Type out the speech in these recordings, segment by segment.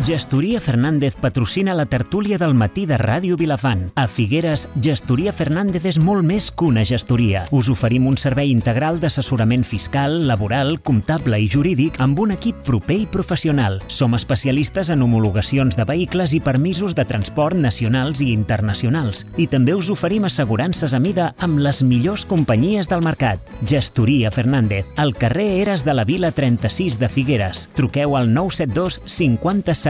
Gestoria Fernández patrocina la tertúlia del matí de Ràdio Vilafant. A Figueres, Gestoria Fernández és molt més que una gestoria. Us oferim un servei integral d'assessorament fiscal, laboral, comptable i jurídic amb un equip proper i professional. Som especialistes en homologacions de vehicles i permisos de transport nacionals i internacionals. I també us oferim assegurances a mida amb les millors companyies del mercat. Gestoria Fernández, al carrer Eres de la Vila 36 de Figueres. Truqueu al 972 50 77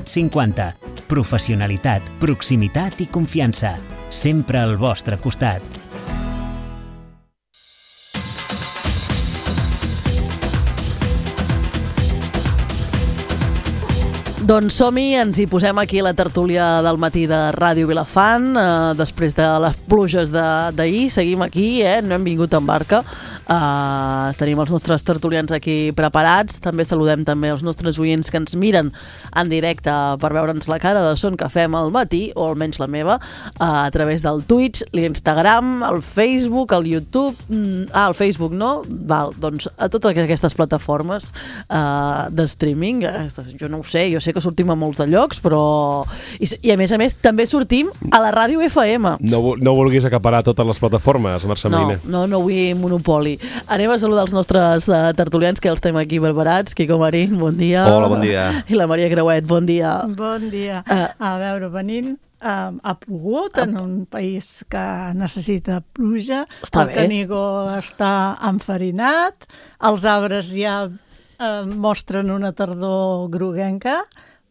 50. Professionalitat, proximitat i confiança. Sempre al vostre costat. Doncs som-hi, ens hi posem aquí la tertúlia del matí de Ràdio Vilafant, després de les pluges d'ahir, seguim aquí, no hem vingut en barca, tenim els nostres tertulians aquí preparats, també saludem també els nostres oients que ens miren en directe per veure'ns la cara de son que fem al matí, o almenys la meva, a través del Twitch, l'Instagram, el Facebook, el YouTube, el Facebook no? Val, doncs a totes aquestes plataformes de streaming, jo no ho sé, jo sé que sortim a molts de llocs, però... I a més, també sortim a la ràdio FM. No vulguis acaparar totes les plataformes, Mercè Mariner. No vull monopoli. Anem a saludar els nostres tertulians, que els tenim aquí preparats. Quico Marín, bon dia. Hola, bon dia. I la Maria Creuet, bon dia. Bon dia. A veure, venint, ha plogut en un país que necessita pluja. Està bé. El Canigó està enfarinat, els arbres ja mostren una tardor groguenca,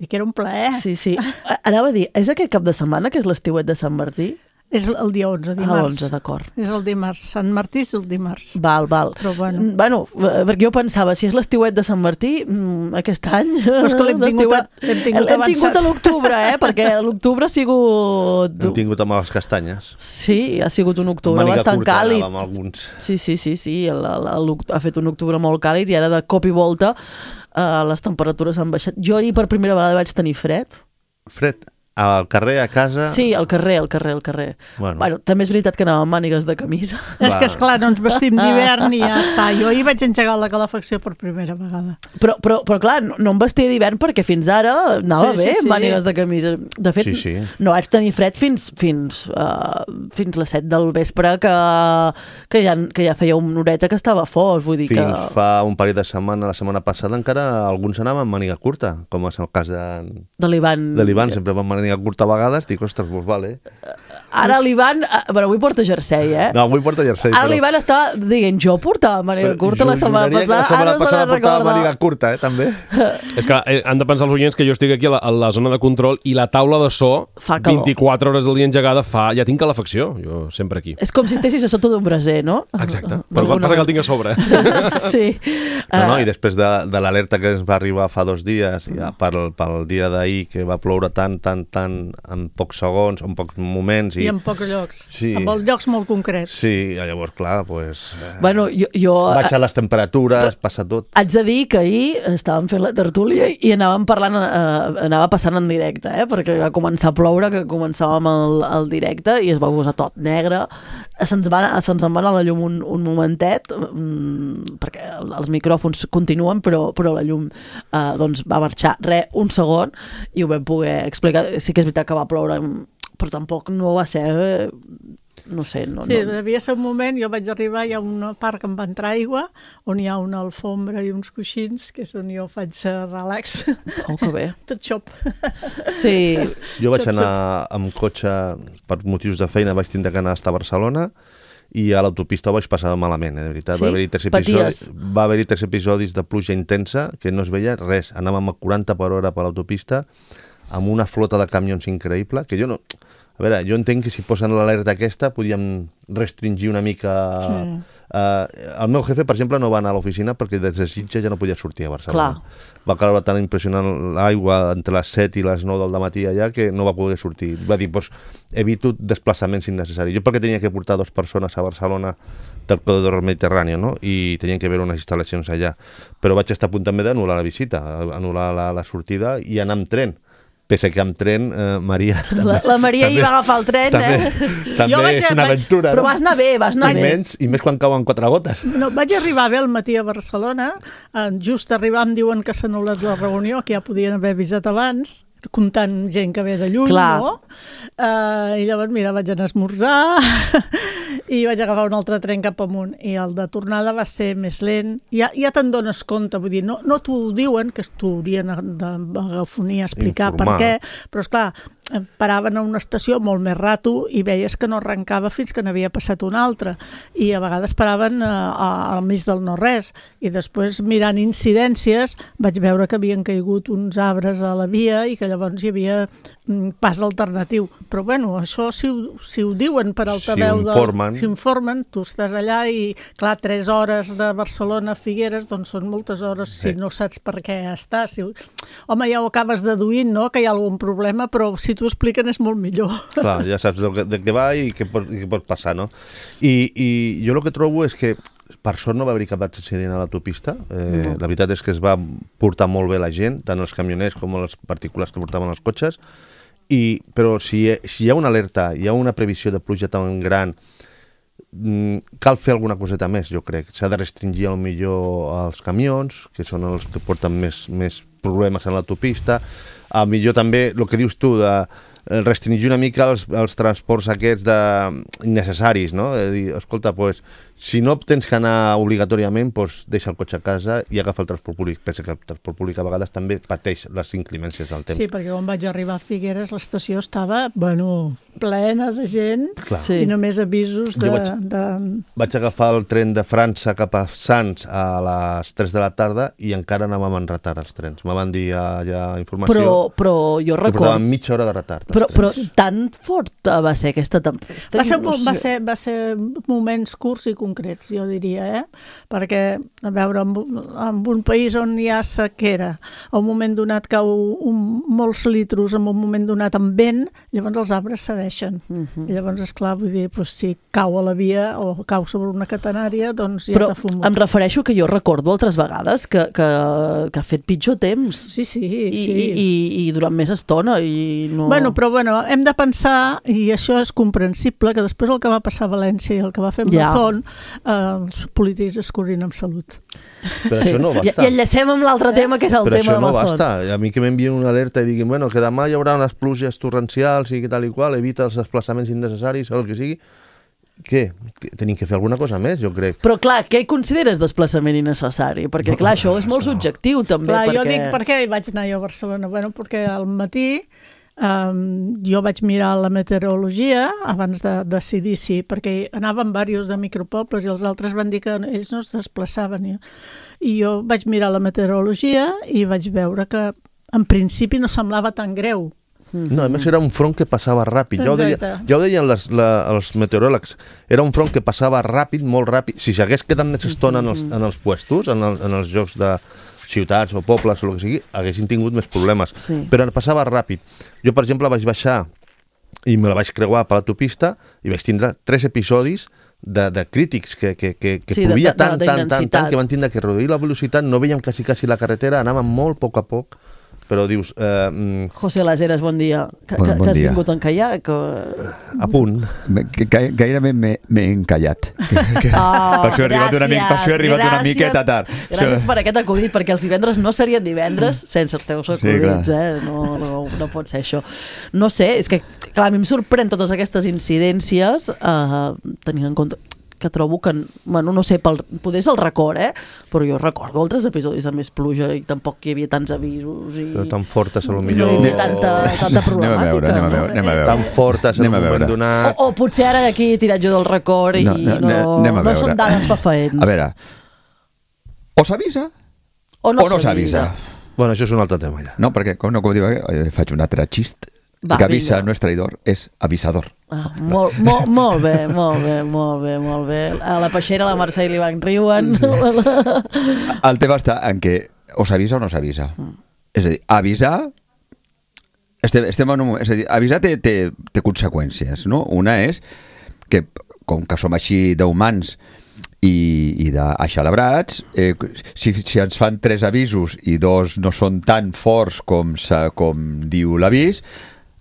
i que era un plaer. Sí. Anava a dir, és aquest cap de setmana que és l'estiuet de Sant Martí? És el dia 11, dimarts. l'11, d'acord. És el dimarts. Sant Martí és el dimarts. Val. Però bueno. Perquè jo pensava, si és l'estiuet de Sant Martí, aquest any... Però és que l'hem tingut avançat a l'octubre, perquè l'octubre ha sigut... Hem tingut amb les castanyes. Sí, ha sigut un octubre bastant càlid. Amb alguns. Sí. Ha fet un octubre molt càlid i ara de cop i volta les temperatures han baixat. Jo ahir per primera vegada vaig tenir fred. Fred? Al carrer, a casa? Sí, al carrer. Bueno, també és veritat que anava amb mànigues de camisa. És que, esclar, no ens vestim d'hivern i ja està. Jo ahir vaig engegar la calefacció per primera vegada. Però clar, no em vestia d'hivern perquè fins ara anava bé, mànigues de camisa. De fet, no vaig tenir fred fins les 7 del vespre, que ja feia una horeta que estava fos. Vull dir fins fa un parell de setmanes, la setmana passada, encara alguns anaven amb màniga curta, com és el cas de l'Ivan, sempre van màniga curta a vegades, dic, ostres, doncs vale. Ara l'Ivan, però avui porta jersei, No, avui porta jersei. Ara l'Ivan estava dient, jo portava màniga curta la setmana passada, ara no se la portava màniga curta, també. És que han de pensar els oients que jo estic aquí a la zona de control i la taula de so, 24 hores al dia engegada, ja tinc calefacció, jo sempre aquí. És com si estessis a sota d'un braser, no? Exacte, però quan passa que el tinc a sobre. Sí. No, i després de l'alerta que ens va arribar fa 2 dies, ja pel dia d'ahir, que va ploure tant, en pocs segons, en pocs moments. I en pocs llocs. Sí. En els llocs molt concrets. Sí, llavors, clar, doncs... Bueno, jo... Baixar les temperatures, passa tot. Haig de dir que ahir estàvem fent la tertúlia i anàvem parlant, anava passant en directe, perquè va començar a ploure, que començàvem el directe i es va posar tot negre. Se'ns en va anar la llum un momentet, perquè els micròfons continuen, però la llum doncs va marxar un segon i ho vam poder explicar. Sí que és veritat que va ploure, però tampoc no va ser... No sé, Sí, devia ser un moment, jo vaig arribar, hi ha una part que em va entrar aigua, on hi ha una alfombra i uns coixins, que és on jo faig relax. Oh, que bé. Tot xop. Sí. Jo vaig anar amb cotxe per motius de feina, vaig tindre que anar a Barcelona, i a l'autopista ho vaig passar malament, de veritat. Sí? Va haver-hi 3 episodis de pluja intensa, que no es veia res. Anàvem a 40 per hora per l'autopista, amb una flota de camions increïble, que jo no... A veure, jo entenc que si posen l'alerta aquesta podíem restringir una mica... Sí. El meu jefe, per exemple, no va anar a l'oficina perquè des de Sitges ja no podia sortir a Barcelona. Clar. Va caure tan impressionant l'aigua entre les 7 i les 9 del matí allà que no va poder sortir. Va dir, doncs, evito desplaçaments innecessaris. Jo perquè tenia que portar 2 persones a Barcelona del corredor mediterrani, no? I tenien que veure unes instal·lacions allà. Però vaig estar a punt també d'anul·lar la visita, anul·lar la sortida i anar amb tren. pese que amb tren, Maria... La Maria hi va agafar el tren, També és una aventura, però vas anar bé, I més quan cauen 4 gotes. No, vaig arribar bé al matí a Barcelona, just arribar em diuen que s'ha anul·lat la reunió, que ja podien haver avisat abans, comptant gent que ve de lluny, no? I llavors, mira, vaig anar a esmorzar i vaig agafar un altre tren cap amunt. I el de tornada va ser més lent. Ja te'n dones compte, vull dir, no t'ho diuen, que t'ho haurien d'agafonia a explicar per què, però esclar, paraven a una estació molt més rato i veies que no arrencava fins que n'havia passat una altra. I a vegades paraven al mig del no-res. I després, mirant incidències, vaig veure que havien caigut uns arbres a la via i que llavors hi havia pas alternatiu. Però bueno, això si ho diuen per altaveu, si informen, tu estàs allà i clar, 3 hores de Barcelona a Figueres, doncs són moltes hores si no saps per què estàs. Home, ja ho acabes deduint, no?, que hi ha algun problema, però si t'ho expliquen és molt millor. Clar, ja saps de què va i què pot passar, no? I jo el que trobo és que per sort no va haver cap accident a l'autopista. La veritat és que es va portar molt bé la gent, tant els camioners com els particulars que portaven els cotxes, però si hi ha una alerta, hi ha una previsió de pluja tan gran, cal fer alguna coseta més, jo crec. S'ha de restringir millor els camions, que són els que porten més problemes a l'autopista. Millor també, el que dius tu, de restringir una mica els transports aquests innecessaris, no? Dir, escolta, si no tens que anar obligatòriament, deixa el cotxe a casa i agafa el transport públic. Pensa que el transport públic a vegades també pateix les inclemències del temps. Sí, perquè quan vaig arribar a Figueres l'estació estava, plena de gent i només avisos de... Vaig agafar el tren de França cap a Sants a les 3 de la tarda i encara anàvem en retard els trens. Me van dir ja informació però jo recordo... que portaven mitja hora de retard. Però tan forta va ser aquesta tempesta? Va ser moments curts i concrets, jo diria, perquè, a veure, en un país on hi ha sequera, a un moment donat cau molts litros, en un moment donat amb vent, llavors els arbres cedeixen. I llavors, esclar, vull dir, si cau a la via o cau sobre una catenària, doncs ja t'ha fumat. Però em refereixo que jo recordo altres vegades que ha fet pitjor temps. Sí. I durant més estona. Però hem de pensar, i això és comprensible, que després el que va passar a València i el que va fer Mazón, els polítics es curin amb salut. Però això no basta. I enllacem amb l'altre tema, que és el tema de Mazón. Però això no basta. A mi que m'envien una alerta i diguin que demà hi haurà unes pluges torrencials i tal i qual, evita els desplaçaments innecessaris o el que sigui. Què? Tenim que fer alguna cosa més, jo crec. Però clar, què consideres desplaçament innecessari? Perquè clar, això és molt subjectiu també. Clar, jo dic, per què vaig anar jo a Barcelona? Perquè al matí jo vaig mirar la meteorologia abans de decidir perquè anaven diversos de micropobles i els altres van dir que ells no es desplaçaven. I jo vaig mirar la meteorologia i vaig veure que en principi no semblava tan greu. No, a més era un front que passava ràpid. Ja ho deien els meteoròlegs. Era un front que passava ràpid, molt ràpid. Si s'hagués quedat més estona en els puestos, en els jocs de ciutats o pobles o el que sigui, haguessin tingut més problemes. Però passava ràpid. Jo, per exemple, vaig baixar i me la vaig creuar per l'autopista i vaig tindre 3 episodis de crítics que plovia tant que van tindre que reduir la velocitat, no veiem quasi la carretera, anàvem molt a poc, però dius... José Las Heras, bon dia. Que has vingut a encallar? A punt. Gairebé m'he encallat. Per això he arribat una miqueta tard. Gràcies per aquest acudit, perquè els divendres no serien divendres sense els teus acudits. No pot ser això. No sé, és que clar, a mi em sorprèn totes aquestes incidències tenint en compte que trobo que, no sé, poder és el record, però jo recordo altres episodis de més pluja i tampoc hi havia tants avisos. Però tan fortes, a lo millor... No hi havia tanta problemàtica. Anem a veure. Tan fortes, en un moment donat... O potser ara d'aquí he tirat jo del record i no són dades fefaents. A veure, o s'avisa o no s'avisa. Bueno, això és un altre tema ja. No, perquè, com diu, faig un altre xist. El que avisa no és traïdor, és avisador. Molt bé. A la peixera la Mercè i l'Ivan riuen. El tema està en què o s'avisa o no s'avisa. És a dir, avisar... avisar té conseqüències, no? Una és que, com que som així d'humans i d'aixelebrats. Si ens fan 3 avisos i 2 no són tan forts com diu l'avís,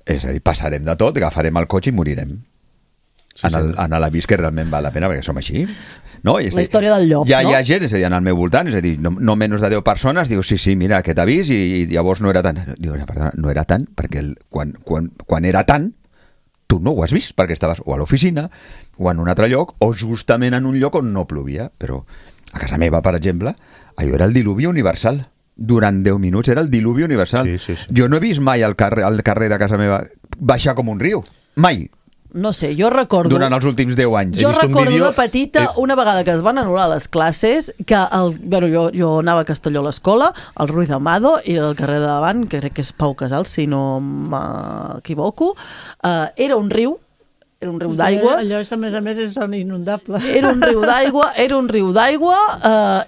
és a dir, passarem de tot, agafarem el cotxe i morirem. En l'avís que realment val la pena, perquè som així. No? La història del llop, no? Hi ha gent, és a dir, al meu voltant, és a dir, no menys de 10 persones, diu, sí, mira, aquest avís, i llavors no era tant. Diu, perdona, no era tant, perquè quan era tant, tu no ho has vist, perquè estaves o a l'oficina, o en un altre lloc, o justament en un lloc on no plovia. Però a casa meva, per exemple, allò era el diluvi universal. Durant 10 minuts era el diluvi universal. Sí. Jo no he vist mai al carrer de casa meva baixar com un riu. Mai. No sé, jo recordo... Durant els últims 10 anys. Jo recordo de petita, una vegada que es van anul·lar les classes, que jo anava a Castelló a l'escola, al Ruiz Amado, i al carrer de davant, que crec que és Pau Casals, si no m'equivoco, era un riu d'aigua. Allò, a més, és zona inundable. Era un riu d'aigua,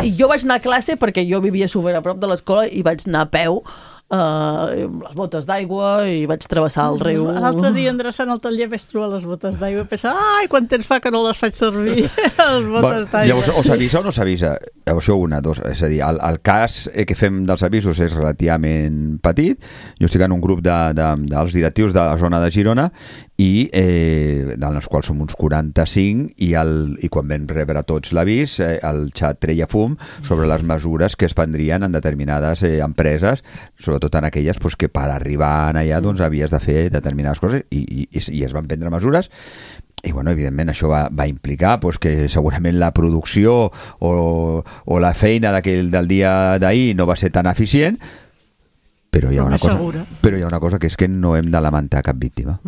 i jo vaig anar a classe perquè jo vivia super a prop de l'escola i vaig anar a peu, amb les botes d'aigua, i vaig travessar el riu. L'altre dia, endreçant el taller, vaig trobar les botes d'aigua i pensar, quan temps fa que no les faig servir, les botes d'aigua. Llavors, o s'avisa o no s'avisa? Llavors, és a dir, el cas que fem dels avisos és relativament petit. Jo estic en un grup dels directius de la zona de Girona, i dels quals som uns 45, i quan vam rebre tots l'avís, el xat treia fum sobre les mesures que es prendrien en determinades empreses, sobretot en aquelles que per arribar allà havies de fer determinades coses, i es van prendre mesures. I evidentment això va implicar que segurament la producció o la feina del dia d'ahir no va ser tan eficient, però hi ha una cosa que és que no hem de lamentar cap víctima.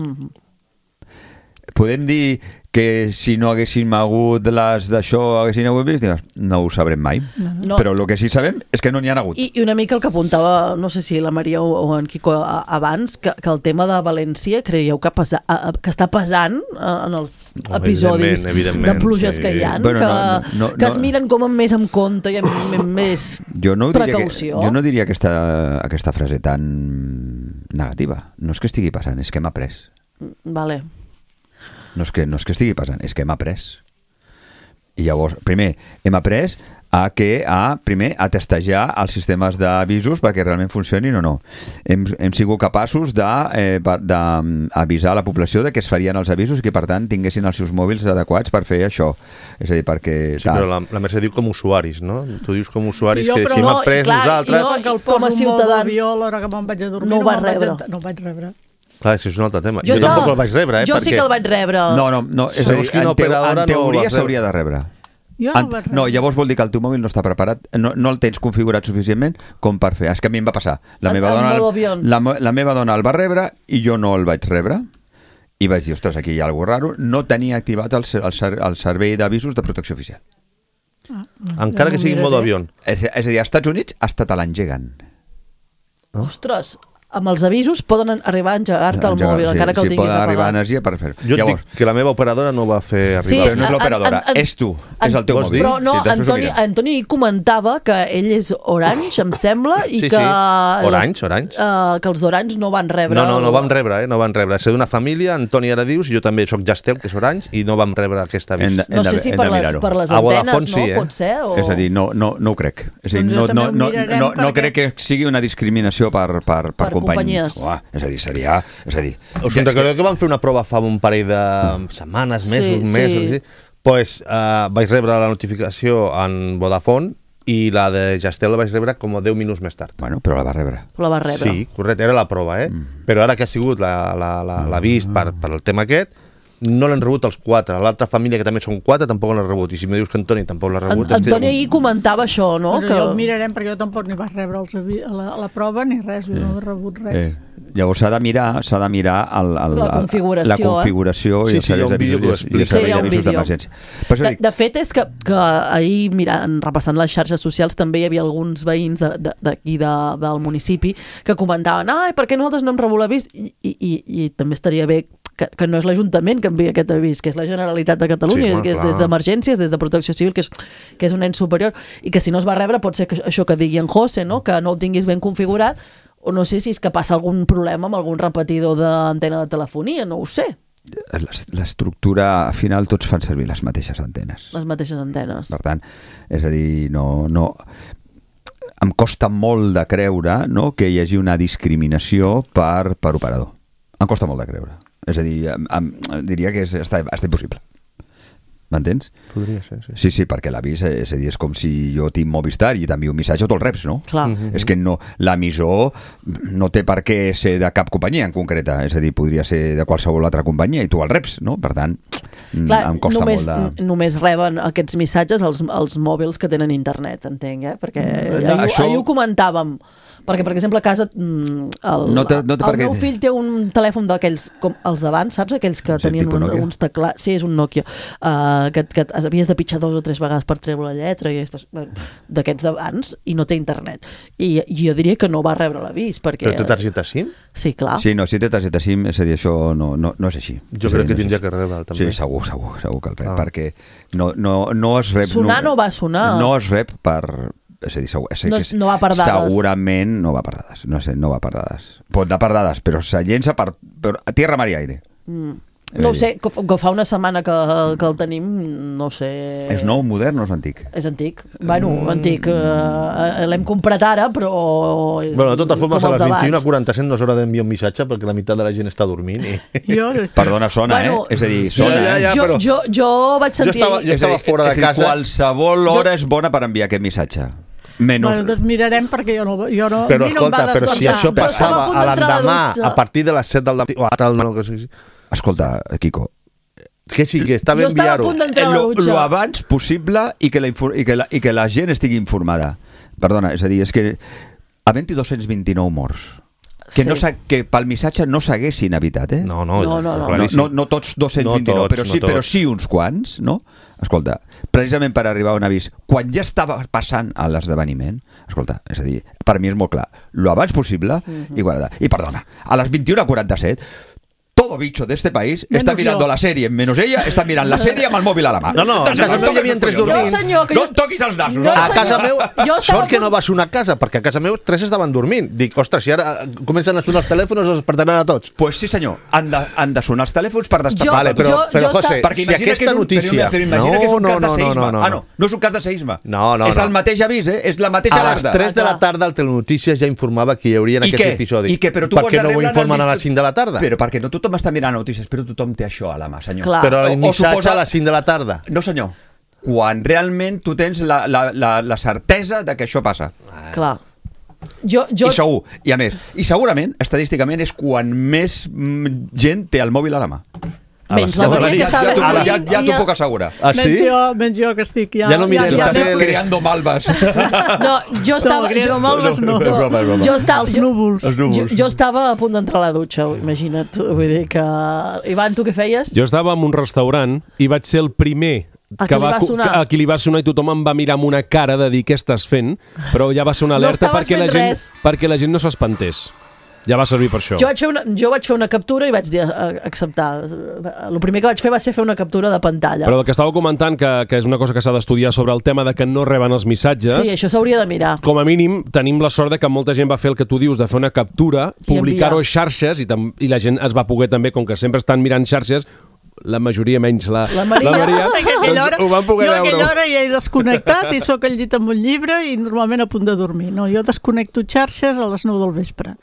Podem dir que si no haguéssim hagut les d'això, haguessin hagut víctimes? No ho sabrem mai. No. Però el que sí sabem és que no n'hi ha hagut. I una mica el que apuntava, no sé si la Maria o en Quico abans, que el tema de València, creieu que està pesant en els episodis de pluges que hi ha? Que es miren com més amb compte i amb més precaució? Jo no diria aquesta frase tan negativa. No és que estigui passant, és que hem après. Vale. No és que estigui passant, és que hem après. I llavors, primer, hem après a testejar els sistemes d'avisos perquè realment funcionin o no. Hem sigut capaços d'avisar la població de que es farien els avisos i que, per tant, tinguessin els seus mòbils adequats per fer això. És a dir, perquè... Sí, però la Mercè diu com usuaris, no? Tu dius com usuaris que si hem après nosaltres... Jo, com a ciutadà, a l'hora que me'n vaig a dormir, no ho vaig rebre. Clar, això és un altre tema. Jo tampoc el vaig rebre, Jo sí que el vaig rebre. No, és a dir, en teoria s'hauria de rebre. No, llavors vol dir que el teu mòbil no està preparat, no el tens configurat suficientment com per fer. És que a mi em va passar. La meva dona el va rebre i jo no el vaig rebre. I vaig dir, ostres, aquí hi ha alguna cosa raro. No tenia activat el servei d'avisos de protecció oficial. Encara que sigui en modo avió. És a dir, als Estats Units hasta te l'engeguen. Ostres, amb els avisos poden arribar a engegar-te el mòbil, encara que el tinguis apagat. Poden arribar a energia per fer-ho. Jo dic que la meva operadora no va fer arribar. Sí, però no és l'operadora, és tu, és el teu mòbil. Però no, Antoni comentava que ell és Orange, em sembla, i que... Orange. Que els d'Orange no van rebre... No van rebre. Ser d'una família, Antoni Aradius, jo també soc Jastel, que és Orange, i no vam rebre aquest avís. No sé si per les antenes, no? Pot ser? És a dir, no ho crec. És a dir, no crec que sigui una discriminació per companyies. És a dir, seria... Us recordeu que vam fer una prova fa un parell de setmanes, mesos, doncs vaig rebre la notificació en Vodafone i la de Jastel la vaig rebre com 10 minuts més tard. Bueno, però la va rebre. Sí, correcte, era la prova, Però ara que ha sigut l'avís per el tema aquest, no l'han rebut els 4. L'altra família, que també són 4, tampoc l'han rebut. I si me dius que Antoni tampoc l'ha rebut... Antoni ahir comentava això, no? Però ja ho mirarem, perquè jo tampoc ni vaig rebre la prova ni res, jo no he rebut res. Llavors s'ha de mirar la configuració i els serveis d'avisos d'emergència. De fet, és que ahir, repassant les xarxes socials, també hi havia alguns veïns d'aquí del municipi que comentaven, per què nosaltres no hem rebut l'avís? I també estaria bé que no és l'Ajuntament que envia aquest avís, que és la Generalitat de Catalunya, que és des d'emergències, des de Protecció Civil, que és un ens superior, i que si no es va rebre pot ser que això que digui en José, no? Que no el tinguis ben configurat, o no sé si és que passa algun problema amb algun repetidor d'antena de telefonia, no ho sé. l'estructura, al final tots fan servir les mateixes antenes. Les mateixes antenes. Per tant, és a dir, no em costa molt de creure, no, que hi hagi una discriminació per operador. Em costa molt de creure. És a dir, diria que està impossible. M'entens? Podria ser, sí. Sí, perquè l'avís, és a dir, és com si jo tinc Movistar i t'envio un missatge o te'l reps, no? Clar. És que no, l'emissor no té per què ser de cap companyia en concreta, és a dir, podria ser de qualsevol altra companyia i tu el reps, no? Per tant, clar, em costa molt de... Només reben aquests missatges els mòbils que tenen internet, entenc, perquè ahir ho comentàvem. Perquè, per exemple, a casa el meu fill té un telèfon d'aquells, com els d'abans, saps? Aquells que tenien uns teclats... Sí, és un Nokia. Que havies de pitjar 2 o 3 vegades per treure la lletra i d'aquests d'abans, i no té internet. I jo diria que no va rebre l'avís, perquè... Però té targeta SIM? Sí, clar. Sí, no, si té targeta SIM, és a dir, això no és així. Jo crec que tindria que rebre, també. Sí, segur que el rep, perquè no es rep... Sonar no va sonar. No es rep per... És a dir, no va per dades. Segurament no va per dades. No va per dades. Pot anar per dades, però se llença per tierra, mar i aire. No ho sé, que fa una setmana que el tenim, no sé... És nou, modern o és antic? És antic. Bueno, antic. L'hem comprat ara, però... Bueno, de totes formes, a les 21:47 no s'haurà d'enviar un missatge perquè la meitat de la gent està dormint. Perdona, sona, És a dir, sona. Jo vaig sentir... Jo estava fora de casa. Qualsevol hora és bona per enviar aquest missatge. Bueno, doncs mirarem perquè jo no però escolta, però si això passava a l'endemà a partir de les 7 del matí o a tal que sigui. Escolta, Quico, que sí, que està bé enviar-ho. Jo estava a punt d'entrar a la dutxa. Lo abans possible i que la gent estigui informada. Perdona, és a dir, és que havent-hi 229 morts que pel missatge no s'haguessin evitat, No tots 229, però sí uns quants, no? Escolta, precisament per arribar a un avís, quan ja estava passant a l'esdeveniment, escolta, és a dir, per mi és molt clar, lo abans possible i perdona, a les 21:47 todo bicho de este país está mirando la serie, menos ella està mirant la sèrie amb el mòbil a la mà. No, a casa meu hi havia 3 dormint. No et toquis els nassos. A casa meu, sort que no va sonar a casa, perquè a casa meu 3 estaven dormint. Dic, ostres, si ara comencen a sonar els telèfons, els despertaran a tots. Pues sí, senyor, han de sonar els telèfons per destapar. Vale, però José, si aquesta notícia... Però imagina que és un cas de seisme. No és un cas de seisme. No. És el mateix avís, és la mateixa alerta. A les 3 de la tarda el Telenotícies ja informava que hi haurien aquests episodis. Per què no ho informen a les 5 de la tarda? Però perquè no tothom està mirant notícies, però tothom té això a la mà, senyor. Clar. Però el missatge a les 5 de la tarda. No, senyor. Quan realment tu tens la certesa de que això passa. Clar. I segur, i a més, i segurament, estadísticament, és quan més gent té el mòbil a la mà. Menys la Maria que està... Ja t'ho puc assegurar. Ah, sí? Menys jo que estic ja... Ja no mirem la tele. Creando malves. No, jo estava... Creando malves no. Els núvols. Jo estava a punt d'entrar a la dutxa, imagina't. Vull dir que... Ivan, tu què feies? Jo estava en un restaurant i vaig ser el primer a qui li va sonar i tothom em va mirar amb una cara de dir què estàs fent, però ja va ser una alerta perquè la gent no s'espantés. Ja va servir per això. Jo vaig fer una captura i vaig dir acceptar. El primer que vaig fer va ser fer una captura de pantalla. Però el que estava comentant, que és una cosa que s'ha d'estudiar sobre el tema de que no reben els missatges... Sí, això s'hauria de mirar. Com a mínim, tenim la sort de que molta gent va fer el que tu dius, de fer una captura, publicar-ho a xarxes, i la gent es va poder també, com que sempre estan mirant xarxes, la majoria menys la Maria, doncs ho van poder veure. Jo a aquella hora ja he desconnectat i sóc al llit amb un llibre i normalment a punt de dormir. No, jo desconnecto xarxes a les 9 del vespre.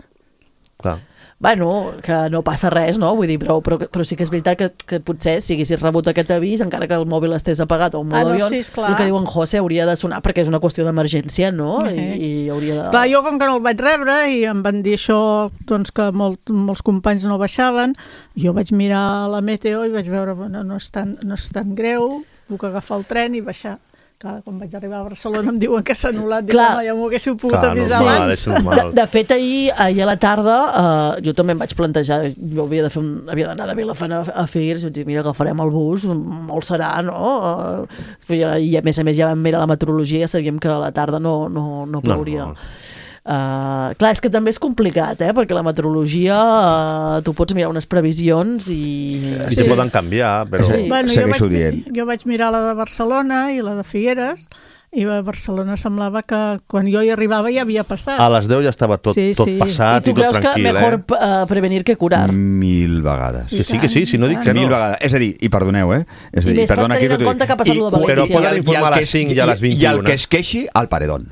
Clar. Bueno, que no passa res, no? Vull dir, però sí que és veritat que potser si haguessis rebut aquest avís, encara que el mòbil estés apagat o un mode avió, el que diuen José hauria de sonar perquè és una qüestió d'emergència, no? I hauria de... Clar, jo com que no el vaig rebre i em van dir això, doncs que molts companys no baixaven, jo vaig mirar la meteo i vaig veure, bueno, no és tan greu, puc agafar el tren i baixar. Clar, quan vaig arribar a Barcelona em diuen que s'ha anul·lat. Clar, ja m'ho haguéssiu pogut avisar abans. De fet, ahir a la tarda jo també em vaig plantejar, jo havia d'anar de Vilafant a Figueres i vaig dir, mira, agafarem el bus, molt serà, no? I a més ja vam mirar la meteorologia, ja sabíem que a la tarda no plouria. Clar, és que també és complicat, perquè la meteorologia tu pots mirar unes previsions i te poden canviar, però jo vaig mirar la de Barcelona i la de Figueres i a Barcelona semblava que quan jo hi arribava ja havia passat. A les 10 ja estava tot passat i tot tranquil. I tu creus que mejor prevenir que curar? 1000 vegades. Que sí, si no dic que no. 1000 vegades. És a dir, i perdoneu, És a dir, I més tenint en compte que ha passat lo de València. Però poden informar a les 5 i a les 21. I el que es queixi, al paredón.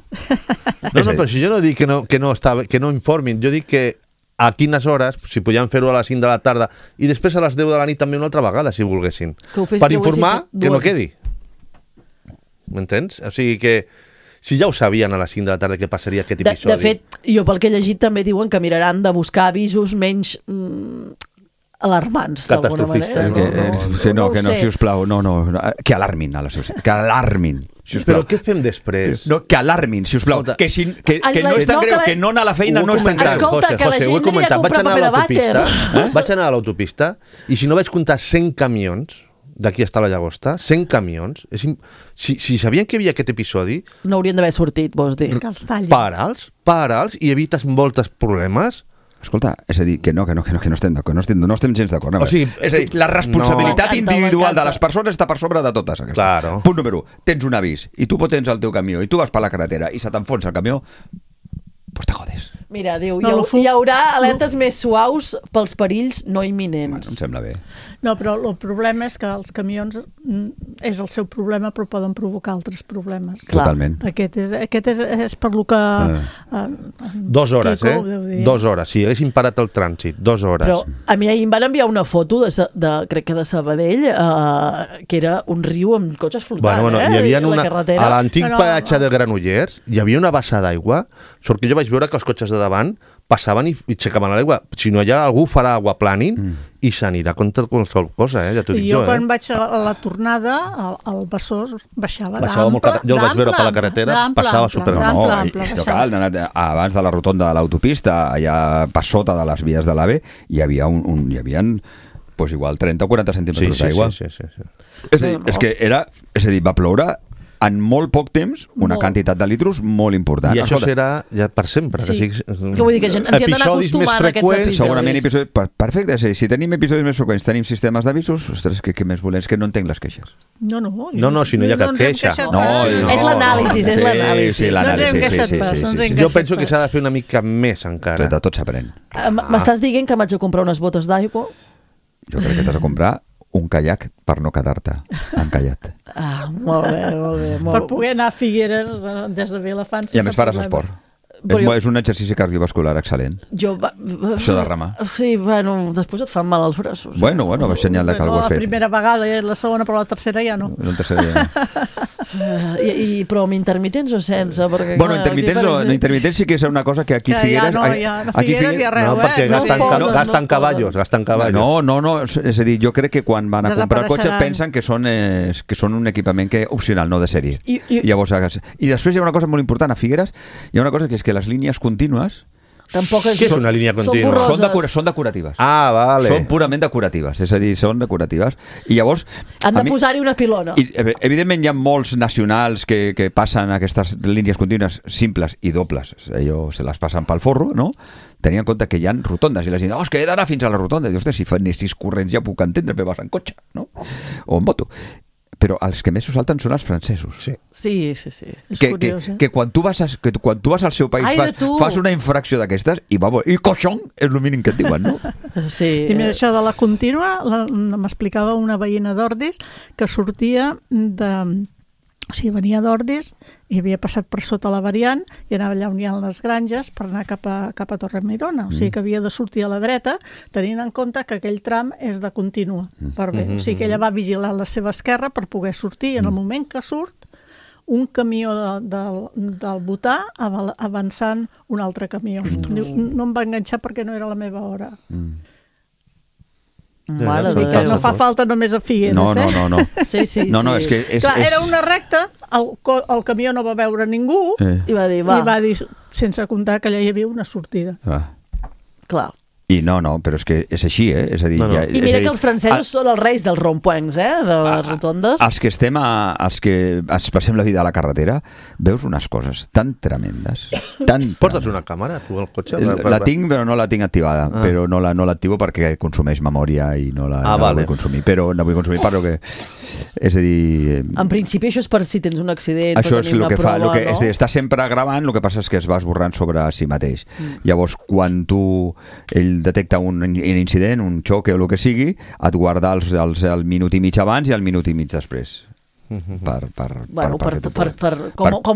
No, però si jo no dic que no informin, jo dic que a quines hores, si podien fer-ho a les 5 de la tarda i després a les 10 de la nit també una altra vegada, si volguessin. Per informar que no quedi. M'entens? O sigui que si ja ho sabien a les 5 de la tarda que passaria aquest episodi... De fet, jo pel que he llegit també diuen que miraran de buscar avisos menys alarmants, d'alguna manera. Que no, sisplau, no, que alarmin a la societat, que alarmin. Però què fem després? No, que alarmin, sisplau. Que no és tan greu, que no anar a la feina no és tan greu. Escolta, que la gent aniria a comprar paper de vàter. Vaig anar a l'autopista i si no vaig comptar 100 camions d'aquí està la Llagosta, 100 camions. Si sabien que hi havia aquest episodi... No haurien d'haver sortit, vols dir. Para'ls i evites molts problemes. Escolta, és a dir, que no estem gens d'acord. O sigui, és a dir, la responsabilitat individual de les persones està per sobre de totes. Claro. Punt número 1, tens un avís i tu tens el teu camió i tu vas per la carretera i se t'enfonsa el camió, pues te jodes. Mira, diu, hi haurà alertes més suaus pels perills no imminents. Bueno, em sembla bé. No, però el problema és que els camions és el seu problema, però poden provocar altres problemes. Totalment. Aquest és per lo que... 2 hores, Quico, 2 hores. Si haguessin parat el trànsit, 2 hores. Però a mi ahir em van enviar una foto crec que de Sabadell, que era un riu amb cotxes flotant, Bueno, hi havia a l'antic peatge de Granollers hi havia una bassa d'aigua, sort que jo vaig veure que els cotxes de davant passaven i aixecaven l'aigua. Si no, allà algú farà aquaplaning i s'anirà contra qualsevol cosa, ja t'ho dic jo. Jo quan vaig a la tornada, el Besòs baixava d'ample. Jo el vaig veure per la carretera, passava superample. Abans de la rotonda de l'autopista, allà per sota de les vies de l'AVE, hi havia igual 30 o 40 centímetres d'aigua. Sí. És a dir, va ploure en molt poc temps una quantitat de litros molt important. I això serà ja per sempre. Sí. Que vull dir que ens hi hem d'anar acostumant a aquests episodis. Segurament episodis... Perfecte, si tenim episodis més freqüents, tenim sistemes d'avisos, ostres, què més volem? Que no entenc les queixes. No, si no hi ha cap queixa. És l'anàlisi, és l'anàlisi. No ens hem queixat pas. Jo penso que s'ha de fer una mica més encara. De tot s'aprèn. M'estàs dient que m'haig de comprar unes botes d'aigua? Jo crec que t'has de comprar un caiac per no quedar-te encallat. Molt bé. Per poder anar a Figueres des de Vilafant sense problemes. I a més faràs esport. És un exercici cardiovascular excel·lent. Això de remar. Sí, després et fan mal els braços. Bueno, és senyal de que algú has fet. La primera vegada i la segona, però la tercera ja no. Però amb intermitents o sense? Bueno, intermitents sí que és una cosa que aquí a Figueres... No, a Figueres ja res, perquè gasten cavallos. No, és a dir, jo crec que quan van a comprar el cotxe pensen que són un equipament opcional, no de sèrie. I després hi ha una cosa molt important a Figueres, hi ha una cosa que és que les línies contínues Què és una línia contínua? Són decoratives. Ah, vale. Són purament decoratives, és a dir, són decoratives. I llavors... Han de posar-hi una pilona. Evidentment hi ha molts nacionals que passen aquestes línies contínues simples i dobles. Se les passen pel forro, no? Tenint en compte que hi ha rotondes i la gent diu, que he d'anar fins a la rotonda. I dius, si fa 6 corrents ja puc entendre, però vas en cotxe, no? O en moto. Però els que més s'ho salten són els francesos. Sí. És curiós, que quan tu vas al seu país fas una infracció d'aquestes i coixón és el mínim que et diuen, no? Sí. I mira, això de la contínua m'explicava una veïna d'Ordis que sortia O sigui, venia d'Ordis i havia passat per sota la variant i anava allà on hi ha les granges per anar cap a Torremirona. O sigui que havia de sortir a la dreta tenint en compte que aquell tram és de contínua. O sigui que ella va vigilar la seva esquerra per poder sortir i en el moment que surt un camió del Botà avançant un altre camió. No em va enganxar perquè no era la meva hora. No fa falta només a Figueres, no. Sí. És que era una recta, el camió no va veure ningú i va dir, sense comptar que allà hi havia una sortida. Clar. I no, però és que és així, És a dir, I mira que els francesos són els reis dels ronds-points, de les rotondes. Els que estem els que ens passem la vida a la carretera, veus unes coses tan tremendes. Portes una càmera, tu, al cotxe? La tinc, però no la tinc activada. Però no l'activo perquè consumeix memòria i no la vull consumir. Però no vull consumir perquè... És a dir... En principi això és per si tens un accident, això per tenir una prova, no? És a dir, està sempre gravant, el que passa és que es va esborrant sobre si mateix. Llavors, quan ell detecta un incident, un xoc o el que sigui, et guarda el minut i mig abans i el minut i mig després. Com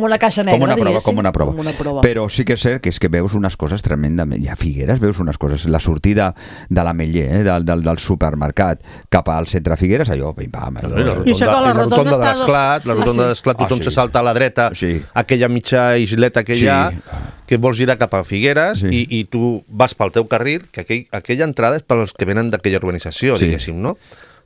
una caixa negra, com una prova. Però sí que és cert que veus unes coses tremendament. I a Figueres veus unes coses. La sortida de l'Ametller, del supermercat cap al centre Figueres, allò, pim-pam. I això que la rotonda de l'Esclat, tothom se salta a la dreta, aquella mitja isleta que hi ha, que vols girar cap a Figueres i tu vas pel teu carril, que aquella entrada és pels que venen d'aquella urbanització, diguéssim, no?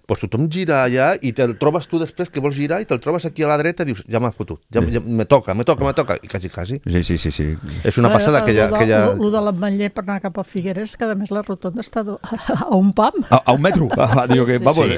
Doncs tothom gira allà i te'l trobes tu després que vols girar i te'l trobes aquí a la dreta i dius, ja m'ha fotut, ja me toca, i quasi. Sí. És una passada aquella... Lo de l'Ametller per anar cap a Figueres, que a més la rotonda està a un pam. A un metro.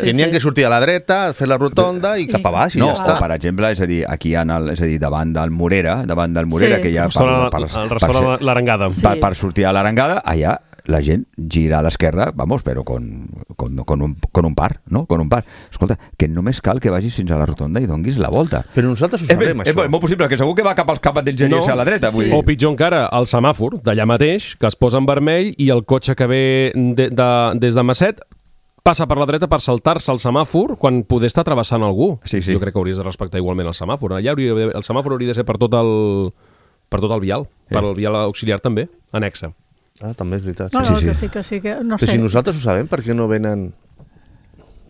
Tenien que sortir a la dreta, fer la rotonda i cap a baix i ja està. Per exemple, és a dir, aquí davant del Morera, que hi ha... El restaurant l'Arengada. Per sortir a l'Arengada, allà la gent gira a l'esquerra, però con un par, no? Con un par. Escolta, que només cal que vagis fins a la rotonda i donguis la volta. Però nosaltres ho sabem, això. És molt possible, que segur que va cap d'enginyers a la dreta. O pitjor encara, el semàfor d'allà mateix, que es posa en vermell i el cotxe que ve des de Masset passa per la dreta per saltar-se el semàfor quan poder estar travessant algú. Jo crec que hauries de respectar igualment el semàfor. Allà el semàfor hauria de ser per tot el vial, per al vial auxiliar també, anexa. També és veritat. Que sí, no sé. Però si nosaltres ho sabem, per què no venen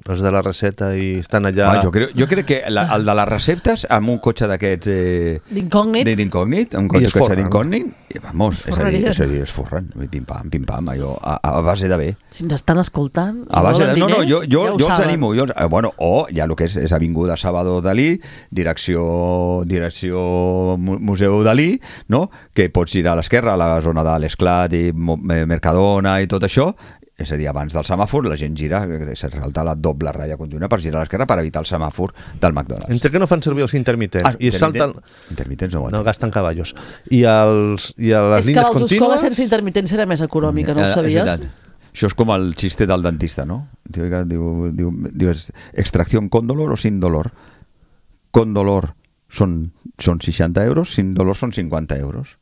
els de la recepta i estan allà... Jo crec que el de les receptes amb un cotxe d'aquests... D'incògnit, un cotxe d'incògnit, es forren, pim-pam, allò, a base de bé. Si ens estan escoltant... Jo els animo. O ja el que és Avinguda Salvador Dalí, direcció Museu Dalí, no? Que pots girar a l'esquerra, a la zona de l'Esclat i Mercadona i tot això. És a dir, abans del semàfor la gent gira, se salta la doble ratlla contínua per girar a l'esquerra per evitar el semàfor del McDonald's. Entre que no fan servir els intermitents i salten... Intermitents no gasten cavallos. I a les línies contínues... És que l'autoscola sense intermitents serà més econòmica, no ho sabies? Això és com el xiste del dentista, no? Diu extracció con dolor o sin dolor. Con dolor són 60 euros, sin dolor són 50 euros.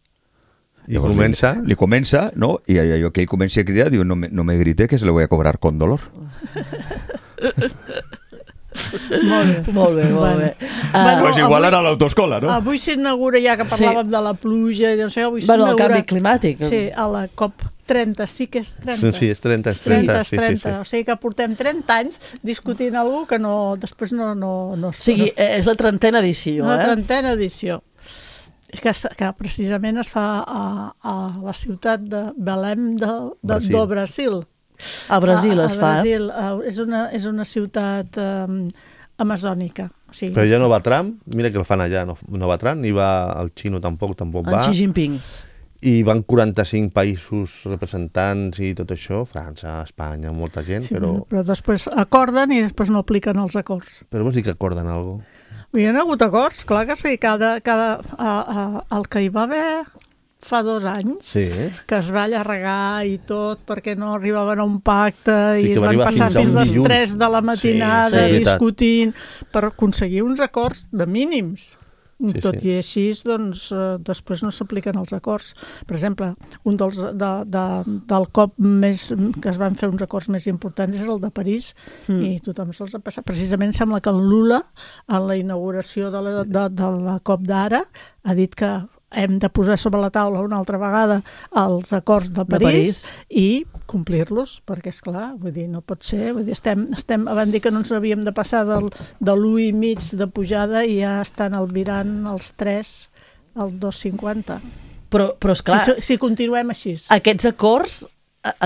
I comença... Li comença, no? I allò que ell comença a cridar, diu, no me grite que se le voy a cobrar con dolor. Molt bé. Pues igual era l'autoscola, no? Avui s'inaugura, ja que parlàvem de la pluja i d'això, avui s'inaugura... el canvi climàtic. Sí, a la COP30, sí que és 30. Sí, és 30. O sigui que portem 30 anys discutint alguna que després no... O sigui, és la 30a edició, La 30a edició. Que precisament es fa a la ciutat de Belém do Brasil. A Brasil es fa. És una ciutat amazònica. Però ja no va Trump, mira que el fan allà, no va Trump, ni va el xino tampoc va. En Xi Jinping. I van 45 països representants i tot això, França, Espanya, molta gent, però després acorden i després no apliquen els acords. Però vols dir que acorden alguna cosa? Hi ha hagut acords, clar que sí, el que hi va haver fa 2 anys, que es va allargar i tot perquè no arribaven a un pacte i es van passar fins les 3 de la matinada discutint per aconseguir uns acords de mínims. Tot i així, doncs, després no s'apliquen els acords. Per exemple, un del COP que es van fer uns acords més importants és el de París i tothom se'ls ha passat. Precisament sembla que el Lula, en la inauguració de la COP d'ara, ha dit que hem de posar sobre la taula una altra vegada els acords de París i complir-los, perquè esclar, vull dir, no pot ser, vull dir, van dir que no ens havíem de passar de l'1,5 de pujada i ja estan albirant els 3 al 2,50. Però esclar, si continuem així. Aquests acords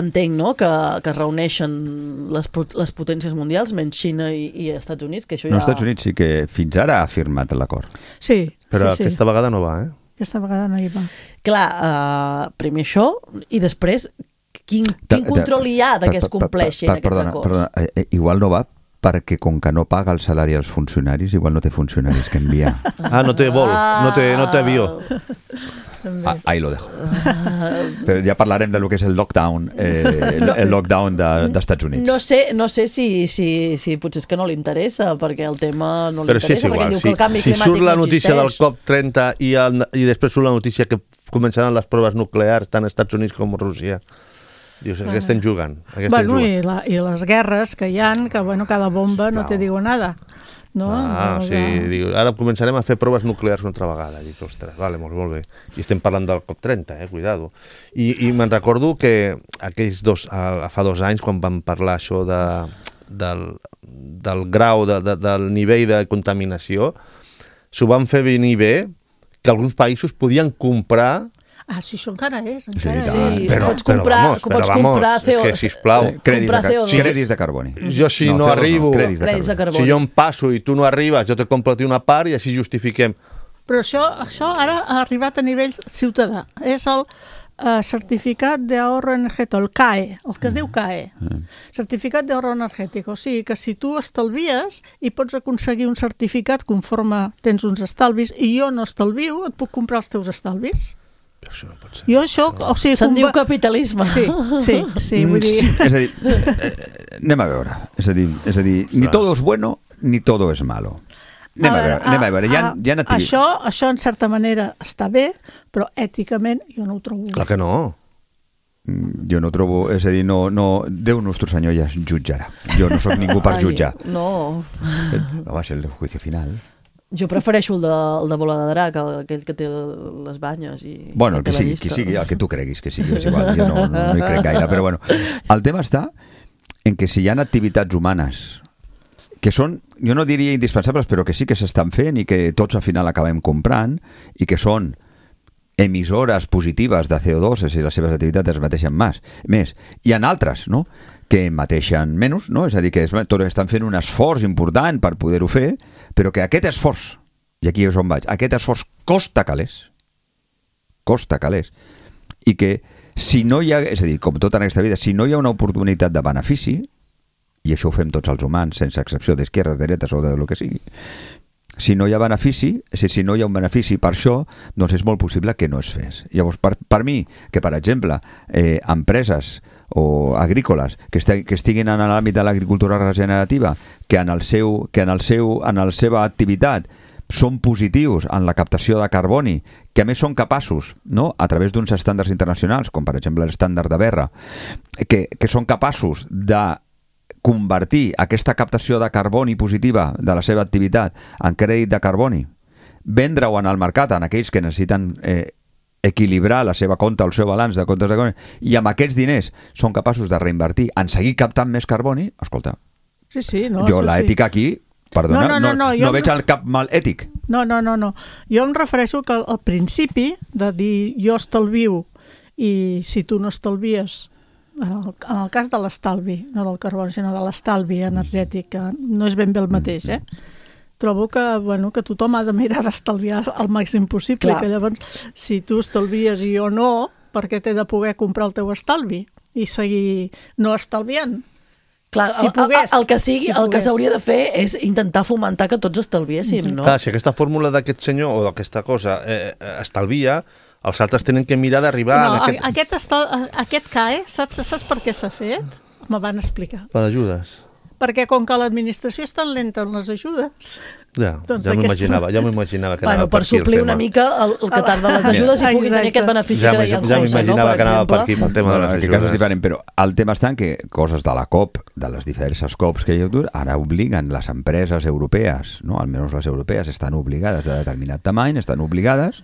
entenc, no?, que es reuneixen les potències mundials, menys Xina i Estats Units, que això ja... No, Estats Units sí que fins ara ha firmat l'acord. Sí. Però aquesta vegada no va, Aquesta vegada no hi va. Clar, primer això, i després, Quin control hi ha que es compleixin aquests acords? Perdona, igual no va perquè com que no paga el salari als funcionaris, igual no té funcionaris que enviar. No té vol, no té avió. Ahí lo dejo. Però ja parlarem de lo que és el lockdown, el lockdown dels Estats Units. No sé si potser és que no li interessa, perquè el tema no li interessa. Però sí, és igual. Diu que el canvi climàtic surt la notícia del COP30 i després surt la notícia que començaran les proves nuclears tant als Estats Units com a Rússia. Dius, què estem jugant? I les guerres que hi ha, que cada bomba no te digo nada. No? Sí, diu, ara començarem a fer proves nuclears una altra vegada. Dic, ostres, vale, molt bé. I estem parlant del COP30, cuidado. I me'n recordo que aquells fa 2 anys, quan vam parlar això del grau, del nivell de contaminació, s'ho van fer venir bé, que alguns països podien comprar... Sí, això encara és. Sí, pots comprar CO2. És que, sisplau, crèdits de carboni. Jo si no arribo, crèdits de carboni. Si jo em passo i tu no arribes, jo te compro una part i així justifiquem. Però això ara ha arribat a nivell ciutadà. És el certificat d'ahorro energètic, el CAE, el que es diu CAE. Certificat d'ahorro energètic. O sigui que si tu estalvies i pots aconseguir un certificat conforme tens uns estalvis i jo no estalvio, et puc comprar els teus estalvis. Però això no pot ser. Jo això... Se'n diu capitalisme. Sí, vull dir... És a dir, anem a veure. És a dir, ni todo es bueno, ni todo es malo. Anem a veure. Això, en certa manera, està bé, però èticament jo no ho trobo bé. Clar que no. Jo no trobo... És a dir, no, Déu nostre senyor ja es jutjarà. Jo no sóc ningú per jutjar. No. Va ser el juicio final. Jo prefereixo el de Bola de Drac, aquell que té les banyes i... Bueno, el que sigui, el que tu creguis que sigui, és igual, jo no hi crec gaire, però bueno. El tema està en que si hi ha activitats humanes que són, jo no diria indispensables, però que sí que s'estan fent i que tots al final acabem comprant i que són emissores positives de CO2, és a dir, les seves activitats es mateixen més. Hi ha altres, no?, que mateixen menys, no? És a dir, que tots estan fent un esforç important per poder-ho fer, però que aquest esforç, i aquí és on vaig, aquest esforç costa calés, i que si no hi ha, és a dir, com tota en aquesta vida, si no hi ha una oportunitat de benefici, i això ho fem tots els humans, sense excepció d'esquerres, dretes o de lo que sigui, si no hi ha benefici, és a dir, si no hi ha un benefici per això, doncs és molt possible que no es fes. Llavors, per mi, que per exemple, empreses o agrícoles que estiguin en l'àmbit de l'agricultura regenerativa, que en la seva activitat són positius en la captació de carboni, que a més són capaços, no?, a través d'uns estàndards internacionals, com per exemple l'estàndard de Berra, que són capaços de convertir aquesta captació de carboni positiva de la seva activitat en crèdit de carboni, vendre-ho en el mercat en aquells que necessiten equilibrar la seva compte, el seu balanç de comptes de carboni, i amb aquests diners són capaços de reinvertir en seguir captant més carboni, escolta, l'ètica aquí, perdona, no veig cap mal ètic. No. Jo em refereixo que al principi de dir jo estalvio i si tu no estalvies, en el cas de l'estalvi, no del carboni, sinó de l'estalvi energètic, que no és ben bé el mateix, trobo que tothom ha de mirar d'estalviar el màxim possible. Que llavors, si tu estalvies i jo no, per què t'he de poder comprar el teu estalvi i seguir no estalviant? Clar, el que s'hauria de fer és intentar fomentar que tots estalviéssim, no? Clar, si aquesta fórmula d'aquest senyor o d'aquesta cosa estalvia, els altres tenen que mirar d'arribar... No, aquest CAE, saps per què s'ha fet? Me van explicar. Per ajudes. Perquè com que l'administració és tan lenta en les ajudes... Ja m'ho imaginava que anava per suplir una mica el que tarda les ajudes i pugui tenir aquest benefici que deia en José, ja m'imaginava que anava per aquí pel tema de les ajudes. Però el tema està en que coses de la COP, de les diverses COPs que hi ha, ara obliguen les empreses europees, no? Almenys les europees estan obligades de determinat tamany, estan obligades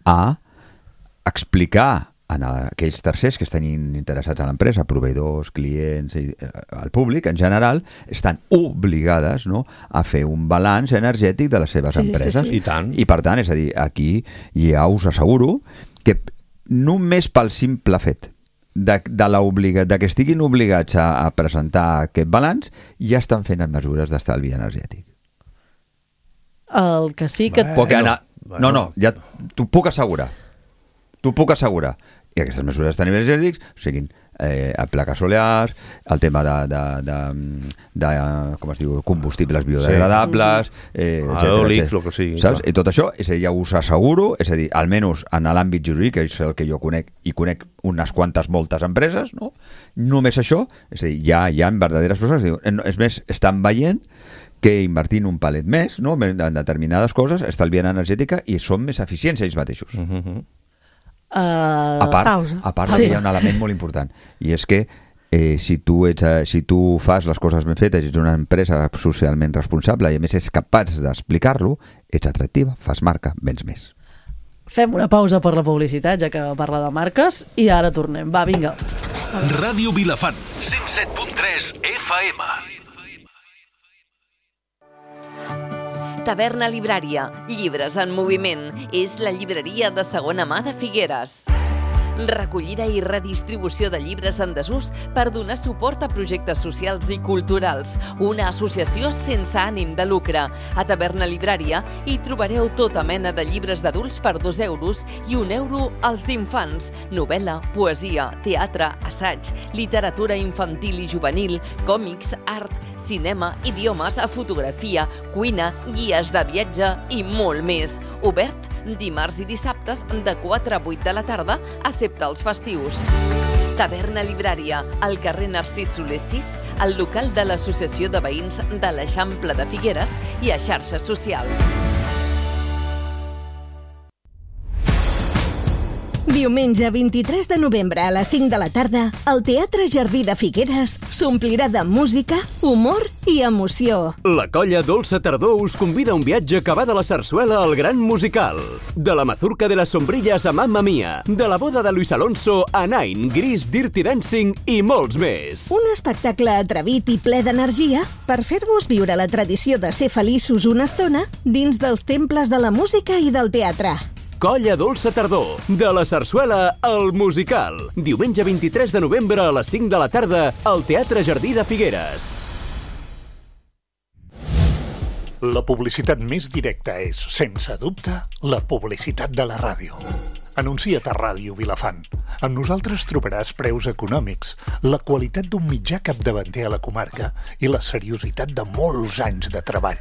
a explicar a aquells tercers que estan interessats en l'empresa, proveïdors, clients, el públic en general, estan obligades, no?, a fer un balanç energètic de les seves empreses. I tant. I per tant, és a dir, aquí ja us asseguro que només pel simple fet de que estiguin obligats a presentar aquest balanç, ja estan fent mesures d'estalvi energètic. El que sí que... Ja t'ho puc assegurar. I aquestes mesures d'estalvi energètics siguin plaques solars, el tema de com es diu, combustibles biodegradables, eòlics, el que sigui. Saps? I tot això, és a dir, ja us asseguro, és a dir, almenys en l'àmbit jurídic, que és el que jo conec, i conec unes quantes, moltes empreses, no? Només això, és a dir, hi ha verdaderes persones que diuen, és més, estan veient que invertint un palet més, no? En determinades coses, estalvien energètica i són més eficients ells mateixos. A part que hi ha un element molt important, i és que si tu fas les coses ben fetes i ets una empresa socialment responsable i a més és capaç d'explicar-lo, ets atractiva, fas marca, vens més. Fem una pausa per la publicitat, ja que parla de marques, i ara tornem. Va, vinga. Ràdio Vilafant, 107.3 FM. Taverna Librària, llibres en moviment. És la llibreria de segona mà de Figueres. Recollida i redistribució de llibres en desús per donar suport a projectes socials i culturals. Una associació sense ànim de lucre. A Taverna Librària hi trobareu tota mena de llibres d'adults per 2 euros i 1 euro als d'infants. Novel·la, poesia, teatre, assaig, literatura infantil i juvenil, còmics, art, cinema, idiomes, fotografia, cuina, guies de viatge i molt més. Obert dimarts i dissabtes de 4 a 8 de la tarda, excepte els festius. Taverna Librària, al carrer Narcís Soler 6, al local de l'Associació de Veïns de l'Eixample de Figueres i a xarxes socials. Diumenge 23 de novembre a les 5 de la tarda, el Teatre Jardí de Figueres s'omplirà de música, humor i emoció. La colla Dolça Tardor us convida a un viatge que va de la sarsuela al gran musical. De la mazurca de les sombrilles a Mamma Mia, de la boda de Luis Alonso a Nine, Gris, Dirty Dancing i molts més. Un espectacle atrevit i ple d'energia per fer-vos viure la tradició de ser feliços una estona dins dels temples de la música i del teatre. Colla Dolça Tardor, de la sarsuela al musical. Diumenge 23 de novembre a les 5 de la tarda al Teatre Jardí de Figueres. La publicitat més directa és, sense dubte, la publicitat de la ràdio. Anuncia't a Ràdio Vilafant. Amb nosaltres trobaràs preus econòmics, la qualitat d'un mitjà capdavanter a la comarca i la seriositat de molts anys de treball.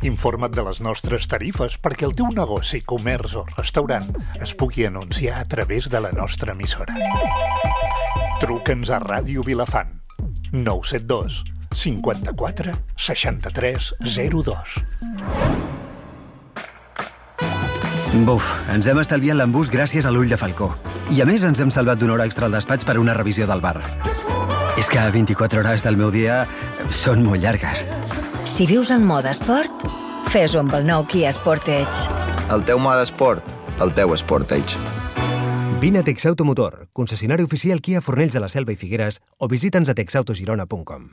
Informa't de les nostres tarifes perquè el teu negoci, comerç o restaurant es pugui anunciar a través de la nostra emissora. Truca'ns a Ràdio Vilafant. 972 54 63 02. Buf, ens hem estalviat l'embús gràcies a l'ull de falcó. I a més ens hem salvat d'una hora extra al despatx per una revisió del bar. És que 24 hores del meu dia són molt llargues. Si vius en mode esport, fes-ho amb el nou Kia Sportage. El teu mode esport, el teu Sportage. Vine a Texautomotor, concessionari oficial Kia Fornells de la Selva i Figueres, o visita'ns a texautogirona.com.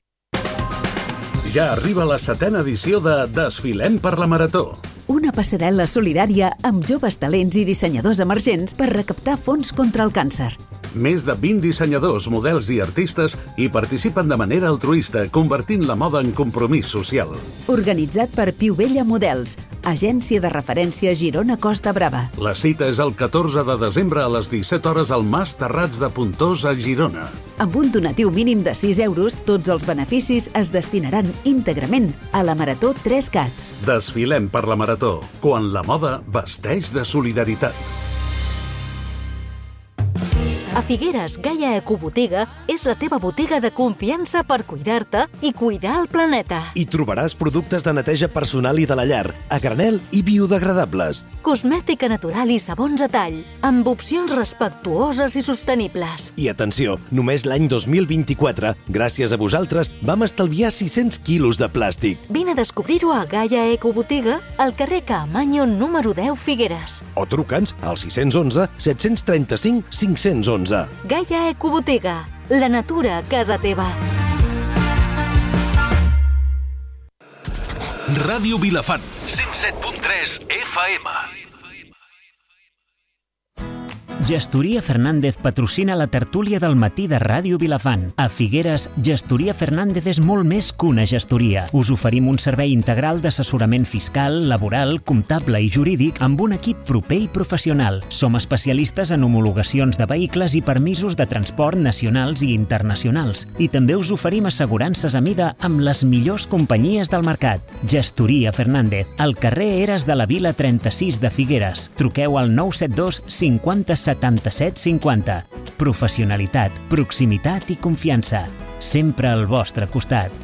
Ja arriba la 7ª edició de Desfilem per la Marató. Una passarel·la solidària amb joves talents i dissenyadors emergents per recaptar fons contra el càncer. Més de 20 dissenyadors, models i artistes hi participen de manera altruista, convertint la moda en compromís social. Organitzat per Piu Vella Models, agència de referència Girona Costa Brava. La cita és el 14 de desembre a les 17 hores al Mas Terrats de Pontós a Girona. Amb un donatiu mínim de 6 euros, tots els beneficis es destinaran íntegrament a la Marató 3CAT. Desfilem per la Marató, quan la moda vesteix de solidaritat. A Figueres, Gaia Ecobotiga és la teva botiga de confiança per cuidar-te i cuidar el planeta. Hi trobaràs productes de neteja personal i de la llar, a granel i biodegradables. Cosmètica natural i sabons a tall, amb opcions respectuoses i sostenibles. I atenció, només l'any 2024, gràcies a vosaltres, vam estalviar 600 quilos de plàstic. Vine a descobrir-ho a Gaia Ecobotiga, al carrer Caamaño número 10 Figueres. O truca'ns al 611 735 511. Gaia Ecobotiga, la natura a casa teva. Ràdio Vilafant, 107.3 FM. Gestoria Fernández patrocina la tertúlia del matí de Ràdio Vilafant. A Figueres, Gestoria Fernández és molt més que una gestoria. Us oferim un servei integral d'assessorament fiscal, laboral, comptable i jurídic amb un equip proper i professional. Som especialistes en homologacions de vehicles i permisos de transport nacionals i internacionals. I també us oferim assegurances a mida amb les millors companyies del mercat. Gestoria Fernández, al carrer Eres de la Vila 36 de Figueres. Truqueu al 972 50 77 50. Professionalitat, proximitat i confiança. Sempre al vostre costat.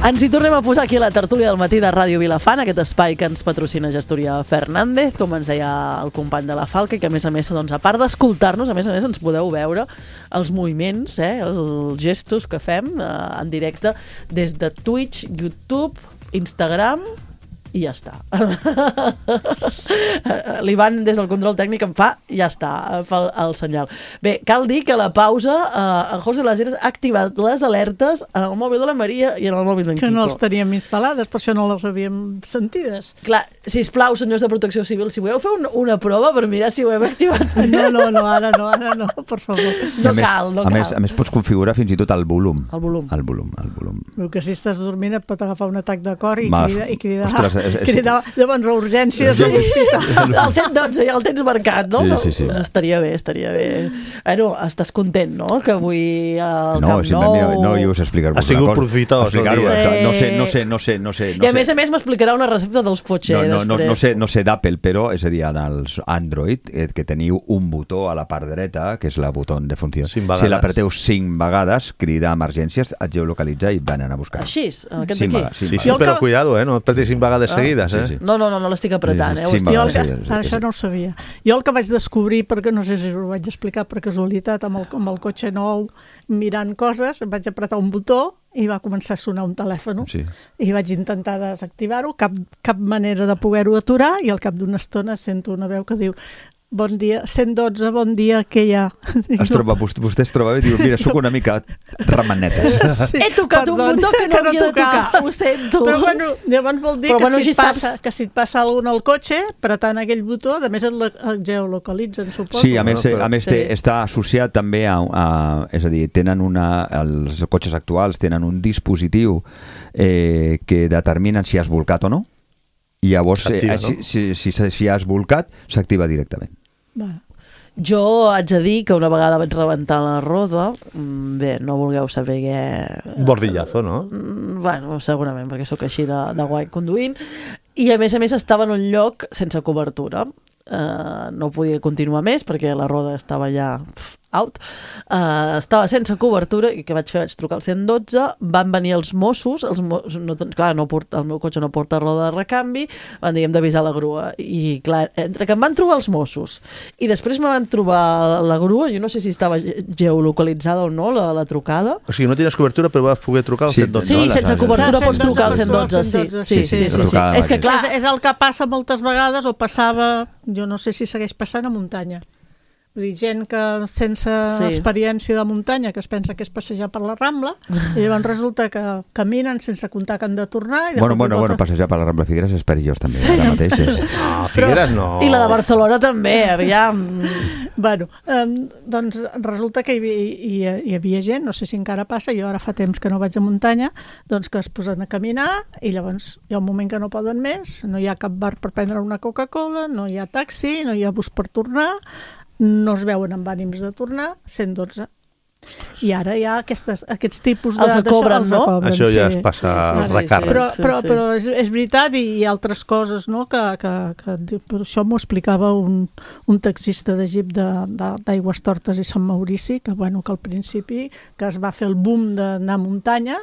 Ens hi tornem a posar aquí a la tertúlia del matí de Ràdio Vilafant, aquest espai que ens patrocina Gestoria Fernández, com ens deia el company de la Falca, i que a més, doncs, a part d'escoltar-nos, a més ens podeu veure els moviments, els gestos que fem en directe des de Twitch, YouTube, Instagram i ja està. L'Ivan des del control tècnic em fa, ja està, fa el senyal. Bé, cal dir que a la pausa en José Laseras ha activat les alertes en el mòbil de la Maria i en el mòbil d'en Quico. Que no els teníem instal·lades, per això no les havíem sentides. Clar, sisplau, senyors de Protecció Civil, si voleu fer una prova per mirar si ho hem activat. No, ara no, per favor. No cal. A més, pots configurar fins i tot el volum. El volum. Veu que si estàs dormint et pot agafar un atac de cor i cridar llavors a urgències a l'hospital. El 112 ja el tens marcat, no? Sí. Estaria bé. Bueno, estàs content, no? Que avui al Camp Nou... No, jo us explicar-vos una cosa. Ha sigut profitós. No sé. I a més m'explicarà una recepta dels Poché després. No sé d'Apple, però, és a dir, en els Android, que teniu un botó a la part dreta, que és el botó de funció. Si l'apreteu 5 vegades, crida emergències, et geolocalitza i van anar a buscar. Així, aquest d'aquí. Sí, però cuidado, no et apretis 5 vegades seguides. No l'estic apretant. Això no ho sabia. Jo el que vaig descobrir, perquè no sé si us ho vaig explicar per casualitat, amb el cotxe nou, mirant coses, vaig apretar un botó i va començar a sonar un telèfon. I vaig intentar desactivar-ho, cap manera de poder-ho aturar, i al cap d'una estona sento una veu que diu: bon dia, 112, bon dia, què hi ha? Vostè es troba bé i diu: mira, sóc una mica ramanetes. He tocat un botó que no havia de tocar, ho sento. Però bueno, llavors vol dir que si et passa alguna al cotxe, apretant aquell botó, a més el geolocalitzen, suposo. Sí, a més està associat també és a dir, els cotxes actuals tenen un dispositiu que determinen si has volcat o no, i llavors si has volcat s'activa directament. Jo haig de dir que una vegada vaig rebentar la roda, bé, no vulgueu saber què... Un bordillazo, no? Bueno, segurament, perquè sóc així de guai conduint, i a més estava en un lloc sense cobertura. No podia continuar més perquè la roda estava ja out, estava sense cobertura, i què vaig fer? Vaig trucar al 112, van venir els Mossos, clar, el meu cotxe no porta roda de recanvi, van dir, hem d'avisar la grua, i clar, entre que em van trobar els Mossos i després me van trobar la grua, jo no sé si estava geolocalitzada o no la trucada. O sigui, no tenies cobertura però vas poder trucar al 112. Sí, sense cobertura pots trucar al 112, sí. És que clar, és el que passa moltes vegades, o passava, jo no sé si segueix passant a muntanya. Vull dir, gent que sense experiència de muntanya, que es pensa que és passejar per la Rambla, i llavors resulta que caminen sense comptar que han de tornar. Bueno, passejar per la Rambla Figueres és perillós també, ara mateix. Figueres no. I la de Barcelona també, aviam. Bueno, doncs resulta que hi havia gent, no sé si encara passa, jo ara fa temps que no vaig a muntanya, doncs que es posen a caminar, i llavors hi ha un moment que no poden més, no hi ha cap bar per prendre una Coca-Cola, no hi ha taxi, no hi ha bus per tornar, no es veuen amb ànims de tornar, 112. I ara hi ha aquests tipus de... Els cobren, no? Això ja es passa als recàrrecs. Però és veritat, i hi ha altres coses, no? Que per això m'ho explicava un taxista de Jeep d'Aigües Tortes i Sant Maurici, que al principi que es va fer el boom d'anar a muntanya,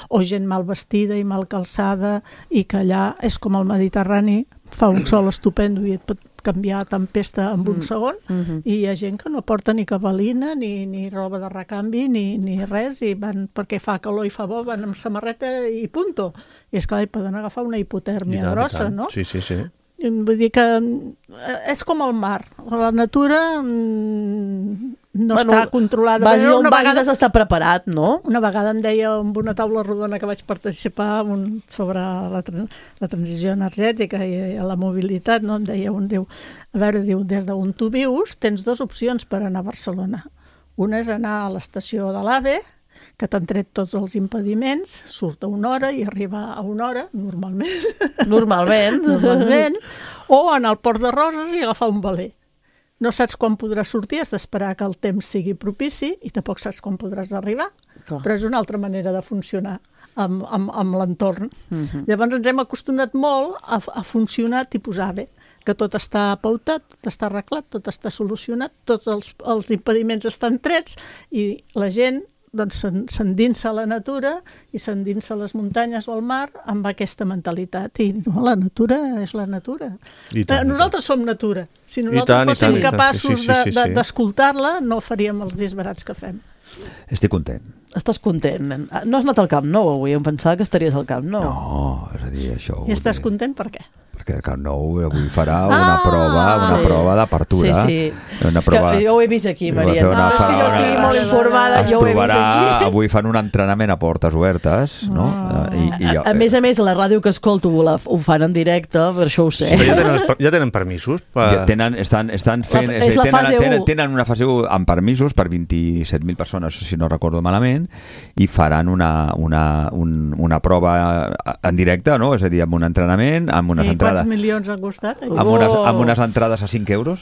o gent mal vestida i mal calçada, i que allà és com el Mediterrani, fa un sol estupendo i et pot canviar tempesta en un segon, i hi ha gent que no porta ni cabalina, ni roba de recanvi, ni res, i van, perquè fa calor i fa bo, van amb samarreta i punto. I esclar, hi poden agafar una hipotèrmia grossa, no? Sí. Vull dir que és com el mar. La natura no està controlada. Vagi on vagis has d'estar preparat, no? Una vegada em deia amb una taula rodona que vaig participar sobre la transició energètica i la mobilitat, no? Em deia a veure, des d'on tu vius tens dues opcions per anar a Barcelona. Una és anar a l'estació de l'AVE, que t'han tret tots els impediments, surt a una hora i arriba a una hora, normalment. Normalment. O anar al Port de Roses i agafar un veler. No saps quan podràs sortir, has d'esperar que el temps sigui propici i tampoc saps quan podràs arribar. Clar. Però és una altra manera de funcionar amb l'entorn. Llavors ens hem acostumat molt a funcionar tipus AVE, que tot està pautat, tot està arreglat, tot està solucionat, tots els impediments estan trets i la gent s'endinsa a la natura i s'endinsa a les muntanyes o al mar amb aquesta mentalitat. I no, la natura és la natura. Nosaltres som natura. Si nosaltres fóssim capaços d'escoltar-la, no faríem els disbarats que fem. Estic content. Estàs content. No has anat al Camp Nou avui? Em pensava que estaries al Camp Nou. No, és a dir, això... I estàs content per què? Perquè el Camp Nou avui farà una prova d'apertura. Sí. És que jo ho he vist aquí, Maria. No, és que jo estigui molt informada, jo ho he vist aquí. Avui fan un entrenament a portes obertes, no? A més, la ràdio que escolto ho fan en directe, per això ho sé. Ja tenen permisos? Estan fent... És la fase 1. Tenen una fase 1 amb permisos per 27.000 persones, si no recordo malament, i faran una prova en directe, no? És a dir, amb un entrenament, amb unes entrades... Quants milions ha costat? Amb unes entrades a 5 euros,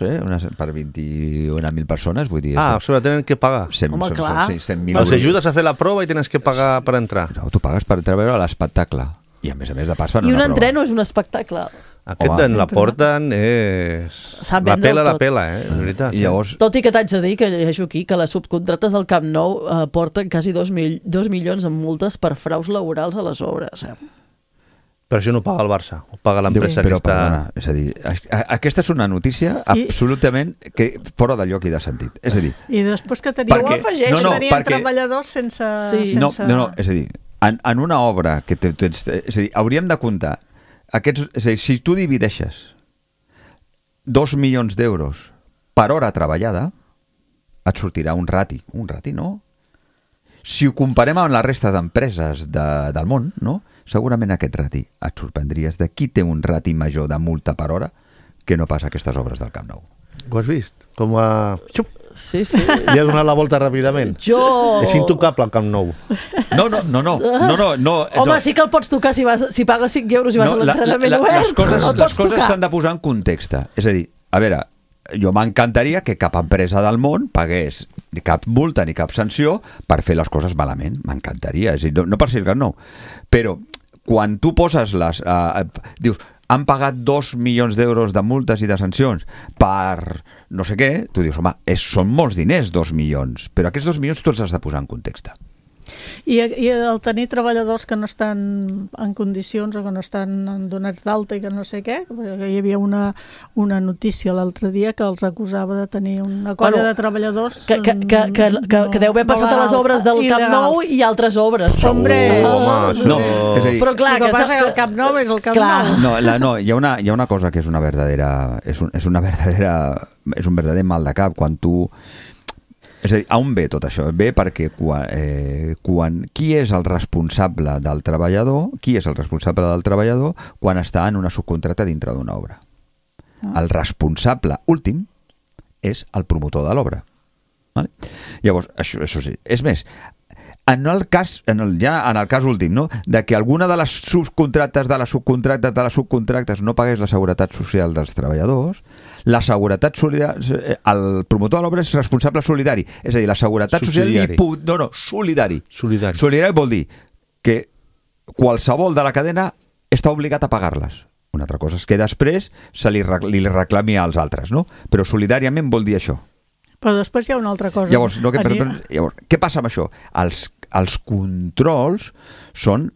per 21.000 persones, vull dir... sobre tenen que pagar. Home, clar. Els ajudes a fer la prova i tens que pagar per entrar. No, tu pagues per entrar a veure l'espectacle. I a més de pas fan una prova. I un entreno és un espectacle. Aquest d'en la porten és... La pela, és veritat. Tot i que t'haig de dir que llegeixo aquí que les subcontrates del Camp Nou porten quasi 2 milions en multes per fraus laborals a les obres. Però això no ho paga el Barça, ho paga l'empresa que està... És a dir, aquesta és una notícia absolutament fora de lloc i de sentit. És a dir... I després que tenien treballadors sense... No, és a dir, en una obra que tens... És a dir, hauríem de comptar aquests... És a dir, si tu divideixes 2 milions d'euros per hora treballada, et sortirà un rati, no? Si ho comparem amb la resta d'empreses del món, no? Segurament aquest rati et sorprendries de qui té un rati major de multa per hora que no pas aquestes obres del Camp Nou. Ho has vist? Com a... Sí. I ha donat la volta ràpidament. És intocable el Camp Nou. No. Home, sí que el pots tocar si pagues 5 euros i vas a l'entrenament obert. Les coses s'han de posar en context. És a dir, a veure, jo m'encantaria que cap empresa del món pagués ni cap multa ni cap sanció per fer les coses malament. M'encantaria. És a dir, no per ser el Camp Nou. Però quan tu poses dius, han pagat 2 milions d'euros de multes i de sancions per no sé què, tu dius, home, són molts diners 2 milions, però aquests 2 milions tu els has de posar en context. I el tenir treballadors que no estan en condicions o que no estan donats d'alta i que no sé què, hi havia una notícia l'altre dia que els acusava de tenir una colla de treballadors que deu haver passat a les obres del Camp Nou i altres obres. Però clar, que passa que el Camp Nou és el Camp Nou. No, hi ha una cosa que és un verdader mal de cap quan tu... És a dir, a on ve tot això? Ve perquè qui és el responsable del treballador quan està en una subcontracta dintre d'una obra? El responsable últim és el promotor de l'obra. Vale? Llavors, això sí. És més, en el cas últim, no? De que alguna de les subcontractes no pagués la seguretat social dels treballadors, la seguretat solidària, el promotor de l'obra és responsable solidari, és a dir, la seguretat social solidari. Solidari vol dir que qualsevol de la cadena està obligat a pagar-les. Una altra cosa és que després se li reclami als altres, no? Però solidàriament vol dir això. Però després hi ha una altra cosa. Llavors, què passa amb això? Els controls són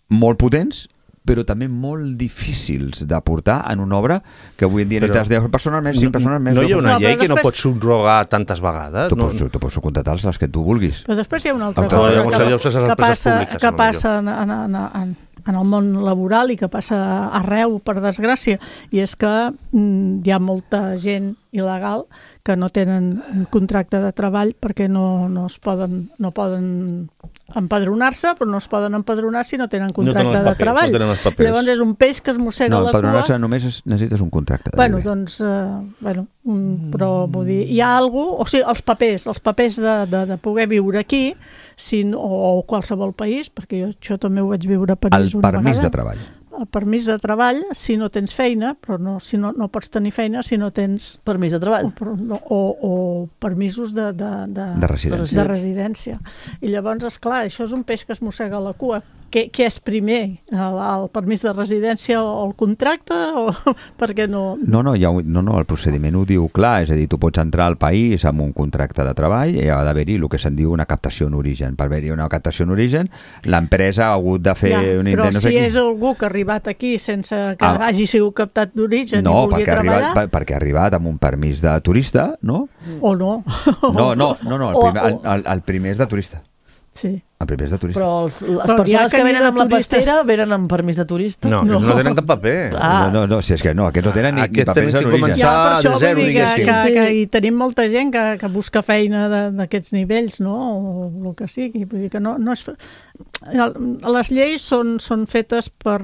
molt potents, però també molt difícils de portar en una obra que avui en dia necessites 10 persones més, 5 persones més. No hi ha una llei que no pots subrogar tantes vegades? Tu pots subcontratar les que tu vulguis. Però després hi ha una altra cosa que passa en el món laboral i que passa arreu, per desgràcia, i és que hi ha molta gent il·legal que no tenen un contracte de treball perquè no poden empadronar-se, però no es poden empadronar si no tenen contracte de treball. Llavors és un peix que es mossega la cua. No, empadronar-se només necessites un contracte. Però vull dir, hi ha alguna cosa, o sigui, els papers de poder viure aquí, o qualsevol país, perquè jo això també ho vaig viure a París una vegada. El permís de treball. El permís de treball si no tens feina, però no pots tenir feina si no tens... Permís de treball. O permisos de residència. I llavors, esclar, això és un peix que es mossega la cua. Què és primer? El permís de residència o el contracte? Perquè no... No, el procediment ho diu clar, és a dir, tu pots entrar al país amb un contracte de treball i ha d'haver-hi el que se'n diu una captació en origen. Per haver-hi una captació en origen, l'empresa ha hagut de fer un intent... Però si és algú que ha arribat aquí sense que hagi sigut captat d'origen i vulgui treballar... No, perquè ha arribat amb un permís de turista, no? O no. No, el primer és de turista. Sí. El primer és de turista. Però les persones que venen amb la pastera venen amb permís de turista? No, no tenen cap paper. No, si és que no, aquests no tenen ni papers en origen. Tenen que començar de zero, diguéssim. I tenim molta gent que busca feina d'aquests nivells, no? O el que sigui. Vull dir que no és... Les lleis són fetes per...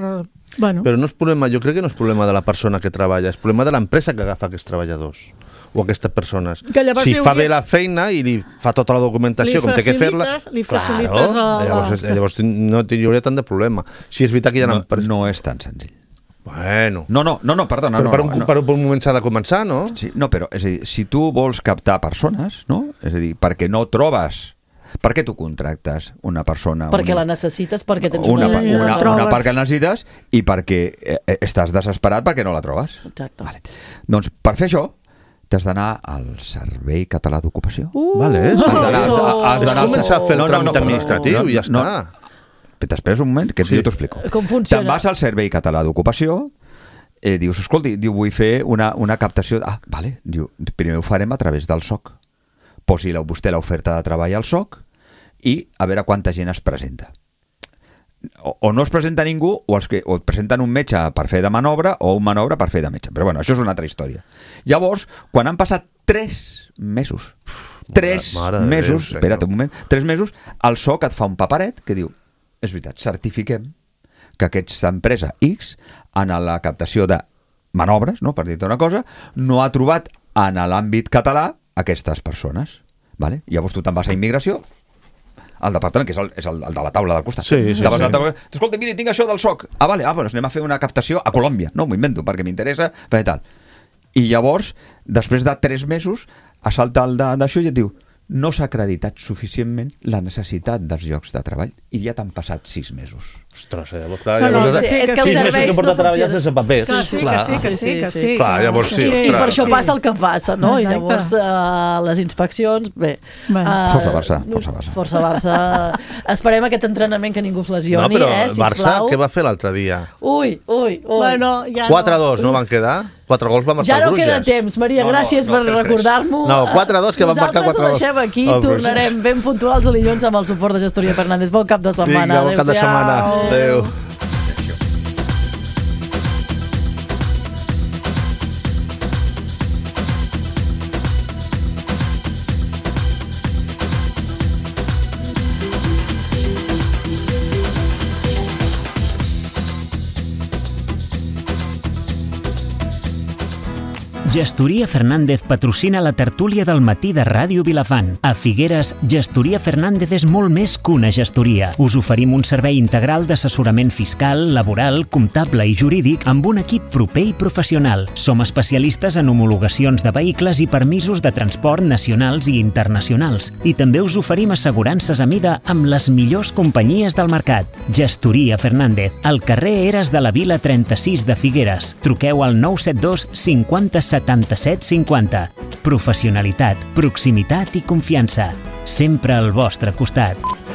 Però no és problema, jo crec que no és problema de la persona que treballa, és problema de l'empresa que agafa aquests treballadors o aquestes persones. Si fa bé la feina i li fa tota la documentació com té que fer-la, li facilites llavors no hi hauria tant de problema. Si és veritat que hi ha empreses... No és tan senzill. Bueno. No, perdona. Però per un moment s'ha de començar, no? Sí, no, però és a dir, si tu vols captar persones, no? És a dir, perquè no trobes... Per què tu contractes una persona? Perquè la necessites, perquè tens una part que la necessites i perquè estàs desesperat perquè no la trobes. Exacte. Vale. Doncs per fer això t'has d'anar al Servei Català d'Ocupació. És començar a fer el tràmit administratiu i ja està. T'esperes un moment, que jo t'ho explico. Com funciona? Te'n vas al Servei Català d'Ocupació, dius, escolti, vull fer una captació... Vale, diu, primer ho farem a través del SOC. Posi vostè l'oferta de treball al SOC i a veure quanta gent es presenta. O no es presenta ningú, o et presenten un metge per fer de manobra o un manobra per fer de metge. Però bueno, això és una altra història. Llavors, quan han passat 3 mesos, espera't un moment, 3 mesos, el SOC et fa un paperet que diu, és veritat, certifiquem que aquesta empresa X, en la captació de manobres, no, per dir-te una cosa, no ha trobat en l'àmbit català aquestes persones. Vale? Llavors tu te'n vas a immigració, al departament, que és el de la taula del costat. Sí. Escolta, mira, tinc això del SOC. Doncs anem a fer una captació a Colòmbia. No, m'ho invento, perquè m'interessa, tal. I llavors, després de 3 mesos, assalta el d'això i et diu, no s'ha acreditat suficientment la necessitat dels llocs de treball i ja t'han passat 6 mesos. Ostres, llavors, clar, és que 6 mesos que porta treballant sense papers. Que sí. Clar, llavors sí, ostres. I per això passa el que passa, no? I llavors les inspeccions, bé. Força Barça. Esperem aquest entrenament que ningú es lesioni, sisplau. Barça, què va fer l'altre dia? Ui. 4-2, no van quedar? 4 gols va marcar el Bruges. Ja no queda temps, Maria, gràcies per recordar-m'ho. No, 4-2 que van marcar 4 gols. Nosaltres ho deixem aquí, tornarem ben puntuals a dilluns amb el suport de Gestoria Fernández. Bon cap de setmana. Vinga, bon cap de setmana. Adéu. Gestoria Fernández patrocina la tertúlia del matí de Ràdio Vilafant. A Figueres, Gestoria Fernández és molt més que una gestoria. Us oferim un servei integral d'assessorament fiscal, laboral, comptable i jurídic amb un equip proper i professional. Som especialistes en homologacions de vehicles i permisos de transport nacionals i internacionals. I també us oferim assegurances a mida amb les millors companyies del mercat. Gestoria Fernández, al carrer Eres de la Vila 36 de Figueres. Truqueu al 972 50 77 50. Professionalitat, proximitat i confiança. Sempre al vostre costat.